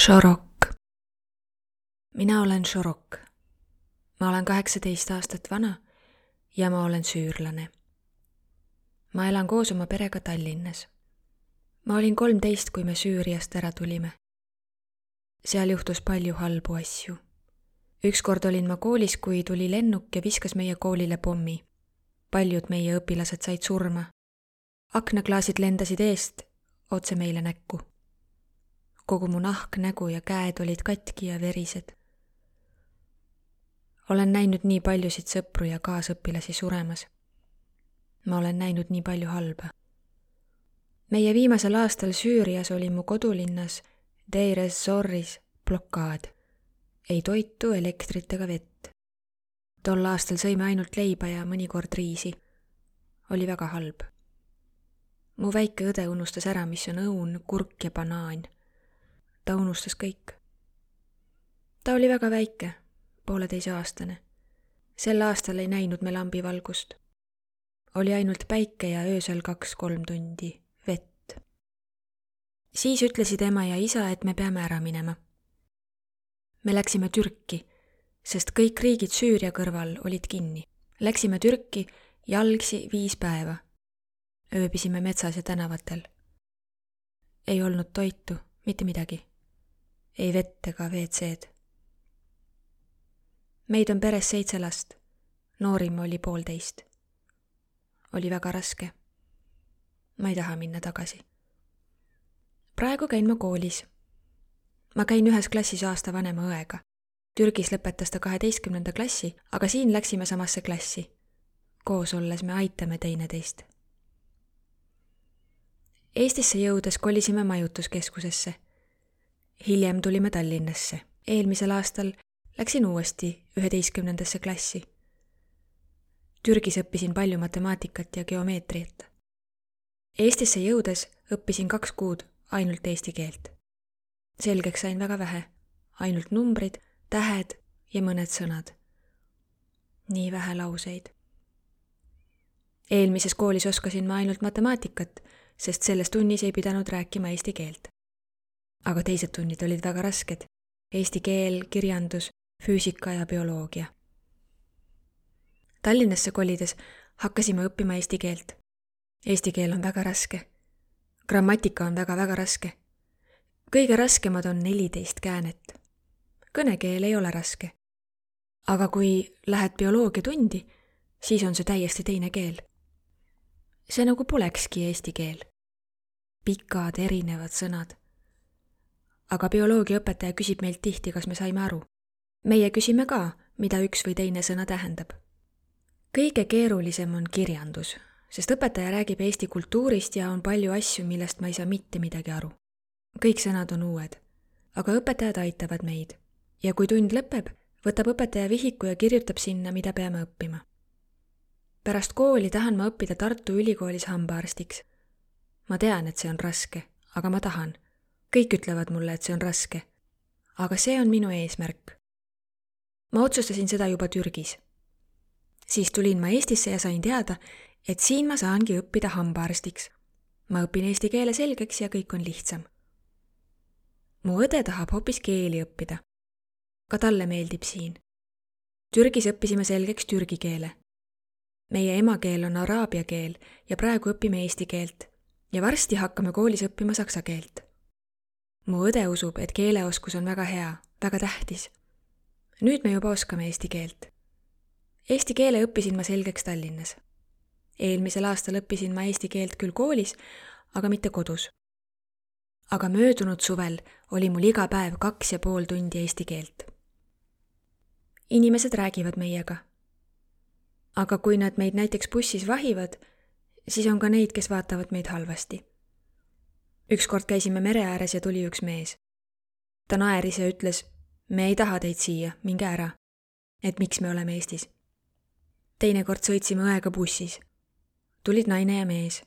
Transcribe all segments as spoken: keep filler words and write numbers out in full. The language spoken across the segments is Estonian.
Šorok. Mina olen Šorok. Ma olen kaheksateist aastat vana ja ma olen süürlane. Ma elan koos oma perega Tallinnas. Ma olin kolmteist, kui me Süüriast ära tulime. Seal juhtus palju halbu asju. Ükskord olin ma koolis, kui tuli lennuk ja viskas meie koolile pommi. Paljud meie õpilased said surma. Aknaklaasid lendasid eest otse meile näkku. Kogu mu nahk, nägu ja käed olid katki ja verised. Olen näinud nii paljusid sõpru ja kaasõpilasi suremas. Ma olen näinud nii palju halba. Meie viimasel aastal Süürias oli mu kodulinnas Deir ez-Zoris blokaad. Ei toitu, elektrit ega vett. Tol aastal sõime ainult leiba ja mõnikord riisi. Oli väga halb. Mu väike õde unustas ära, mis on õun, kurk ja banaan. Ta unustas kõik. Ta oli väga väike, pooleteise aastane. Sel aastal ei näinud me lambivalgust. Oli ainult päike ja öösel kaks-kolm tundi vett. Siis ütlesid ema ja isa, et me peame ära minema. Me läksime Türki, sest kõik riigid Süüria kõrval olid kinni. Läksime Türki jalgsi viis päeva. Ööbisime metsas ja tänavatel. Ei olnud toitu, mitte midagi. Ei vett ega ve tse'd. Meid on peres seitse last. Noorim oli poolteist. Oli väga raske. Ma ei taha minna tagasi. Praegu käin ma koolis. Ma käin ühes klassis aasta vanema õega. Türgis lõpetas ta kaheteistkümnenda klassi, aga siin läksime samasse klassi. Koos olles me aitame teineteist. Eestisse jõudes kolisime majutuskeskusesse. Hiljem tulime Tallinnasse. Eelmisel aastal läksin uuesti üheteistkümnendasse klassi. Türgis õppisin palju matemaatikat ja geomeetriat. Eestisse jõudes õppisin kaks kuud ainult eesti keelt. Selgeks sain väga vähe. Ainult numbrid, tähed ja mõned sõnad. Nii vähe lauseid. Eelmises koolis oskasin ma ainult matemaatikat, sest selles tunnis ei pidanud rääkima eesti keelt. Aga teised tunnid olid väga rasked. Eesti keel, kirjandus, füüsika ja bioloogia. Tallinnasse kolides hakkasime õppima eesti keelt. Eesti keel on väga raske. Grammatika on väga-väga raske. Kõige raskemad on neliteist käänet. Kõnekeel ei ole raske. Aga kui lähed bioloogia tundi, siis on see täiesti teine keel. See nagu polekski eesti keel. Pikad, erinevad sõnad. Aga bioloogiaõpetaja küsib meilt tihti, kas me saime aru. Meie küsime ka, mida üks või teine sõna tähendab. Kõige keerulisem on kirjandus, sest õpetaja räägib Eesti kultuurist ja on palju asju, millest ma ei saa mitte midagi aru. Kõik sõnad on uued, aga õpetajad aitavad meid. Ja kui tund lõpeb, võtab õpetaja vihiku ja kirjutab sinna, mida peame õppima. Pärast kooli tahan ma õppida Tartu Ülikoolis hambaarstiks. Ma tean, et see on raske, aga ma tahan. Kõik ütlevad mulle, et see on raske. Aga see on minu eesmärk. Ma otsustasin seda juba Türgis. Siis tulin ma Eestisse ja sain teada, et siin ma saangi õppida hambaarstiks. Ma õpin eesti keele selgeks ja kõik on lihtsam. Mu õde tahab hoopis keeli õppida. Ka talle meeldib siin. Türgis õppisime selgeks türgi keele. Meie emakeel on araabia keel ja praegu õpime eesti keelt. Ja varsti hakkame koolis õppima saksa keelt. Mu õde usub, et keeleoskus on väga hea, väga tähtis. Nüüd me juba oskame eesti keelt. Eesti keele õppisin ma selgeks Tallinnas. Eelmisel aastal õppisin ma eesti keelt küll koolis, aga mitte kodus. Aga möödunud suvel oli mul iga päev kaks ja pool tundi eesti keelt. Inimesed räägivad meiega. Aga kui nad meid näiteks bussis vahivad, siis on ka neid, kes vaatavad meid halvasti. Ükskord käisime mere ääres ja tuli üks mees. Ta naeris ja ütles, me ei taha teid siia, minge ära. Et miks me oleme Eestis. Teinekord sõitsime õega bussis. Tulid naine ja mees.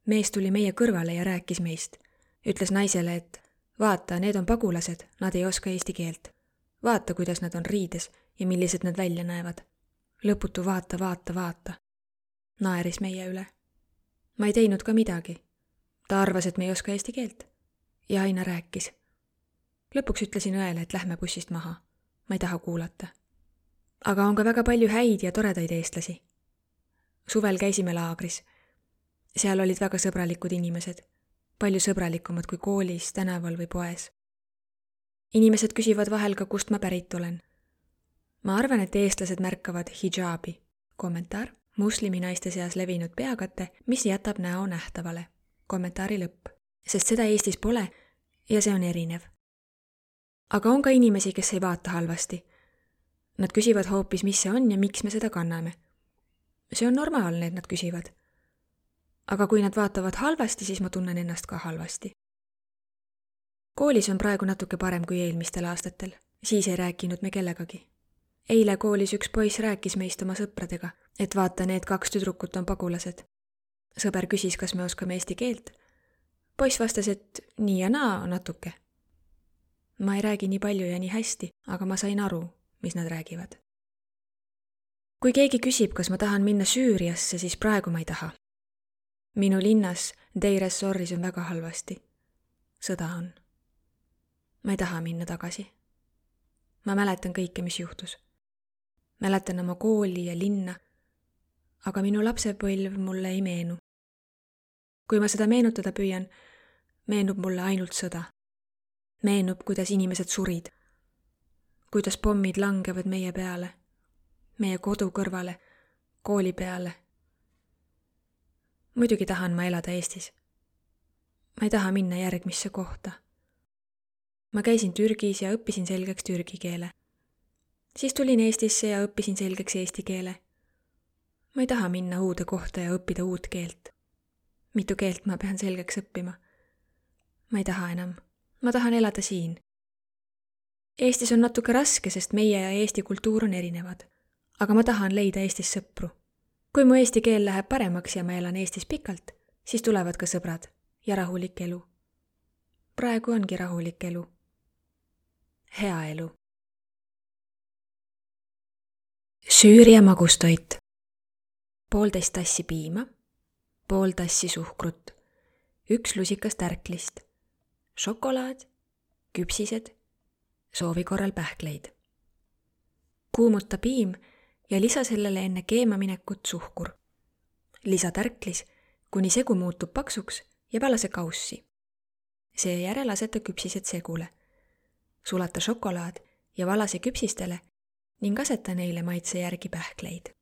Mees tuli meie kõrvale ja rääkis meist. Ütles naisele, et vaata, need on pagulased, nad ei oska eesti keelt. Vaata, kuidas nad on riides ja millised nad välja näevad. Lõputu vaata, vaata, vaata. Naeris meie üle. Ma ei teinud ka midagi. Ta arvas, et me ei oska eesti keelt. Ja aina rääkis. lõpuks ütlesin õele, et lähme bussist maha. Ma ei taha kuulata. Aga on ka väga palju häid ja toredaid eestlasi. Suvel käisime laagris. Seal olid väga sõbralikud inimesed. Palju sõbralikumad kui koolis, tänaval või poes. Inimesed küsivad vahel ka, kust ma pärit olen. Ma arvan, et eestlased märkavad hijabi. Kommentaar. Muslimi naiste seas levinud peakate, mis jätab näo nähtavale. Kommentaari lõpp. Sest seda Eestis pole ja see on erinev. Aga on ka inimesi, kes ei vaata halvasti. Nad küsivad hoopis, mis see on ja miks me seda kanname. See on normaalne, et nad küsivad. Aga kui nad vaatavad halvasti, siis ma tunnen ennast ka halvasti. Koolis on praegu natuke parem kui eelmistel aastatel. Siis ei rääkinud me kellegagi. Eile koolis üks poiss rääkis meist oma sõpradega, et vaata, need kaks tüdrukut on pagulased. Sõber küsis, kas me oskame eesti keelt. Poiss vastas, et nii ja naa natuke. Ma ei räägi nii palju ja nii hästi, aga ma sain aru, mis nad räägivad. Kui keegi küsib, kas ma tahan minna Süüriasse, siis praegu ma ei taha. Minu linnas Deir ez-Zoris on väga halvasti. Sõda on. Ma ei taha minna tagasi. Ma mäletan kõike, mis juhtus. Mäletan oma kooli ja linna, aga minu lapsepõlv mulle ei meenu. Kui ma seda meenutada püüan, meenub mulle ainult sõda. Meenub, kuidas inimesed surid. Kuidas pommid langevad meie peale, meie kodu kõrvale, kooli peale. Muidugi tahan ma elada Eestis. Ma ei taha minna järgmisse kohta. Ma käisin Türgis ja õppisin selgeks türgi keele. Siis tulin Eestisse ja õppisin selgeks eesti keele. Ma ei taha minna uude kohta ja õppida uut keelt. Mitu keelt ma pean selgeks õppima. Ma ei taha enam. Ma tahan elada siin. Eestis on natuke raske, sest meie ja Eesti kultuur on erinevad. Aga ma tahan leida Eestis sõpru. Kui mu eesti keel läheb paremaks ja ma elan Eestis pikalt, siis tulevad ka sõbrad ja rahulik elu. Praegu ongi rahulik elu. Hea elu. Süüria magustoit. Poolteist tassi piima, pool tassi suhkrut, üks lusikas tärklist, šokolaad, küpsised, soovi korral pähkleid. Kuumuta piim ja lisa sellele enne keema minekut suhkur. Lisa tärklis, kuni segu muutub paksuks ja valase kaussi. Seejärel aseta küpsised segule. Sulata šokolaad ja valase küpsistele ning aseta neile maitse järgi pähkleid.